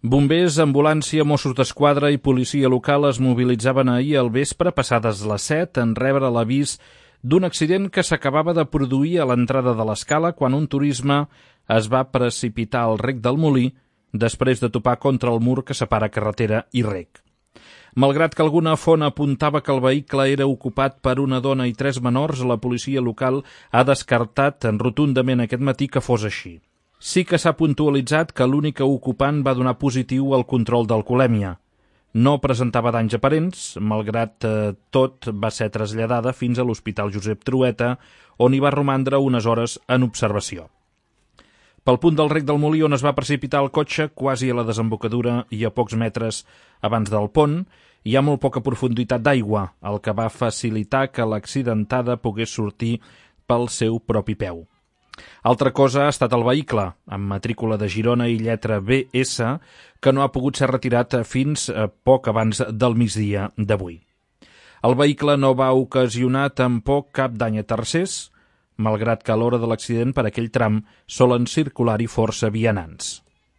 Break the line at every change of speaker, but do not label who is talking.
Bombers, ambulància, Mossos d'Esquadra i policia local es mobilitzaven ahir al vespre, passades les 7, en rebre l'avís d'un accident que s'acabava de produir a l'entrada de l'escala quan un turisme es va precipitar al rec del Molí després de topar contra el mur que separa carretera i rec. Malgrat que alguna font apuntava que el vehicle era ocupat per una dona i 3 menors, la policia local ha descartat rotundament aquest matí que fos així. Sí que s'ha puntualitzat que l'única ocupant va donar positiu al control d'alcoholèmia. No presentava danys aparents, malgrat tot va ser traslladada fins a l'Hospital Josep Trueta, on hi va romandre unes hores en observació. Pel punt del rec del Molí on es va precipitar el cotxe, quasi a la desembocadura i a pocs metres abans del pont, hi ha molt poca profunditat d'aigua, el que va facilitar que l'accidentada pogués sortir pel seu propi peu. Altra cosa ha estat el vehicle, amb matrícula de Girona i lletra BS, que no ha pogut ser retirat fins poc abans del migdia d'avui. El vehicle no va ocasionar tampoc cap dany a tercers, malgrat que a l'hora de l'accident per aquell tram solen circular-hi força vianants.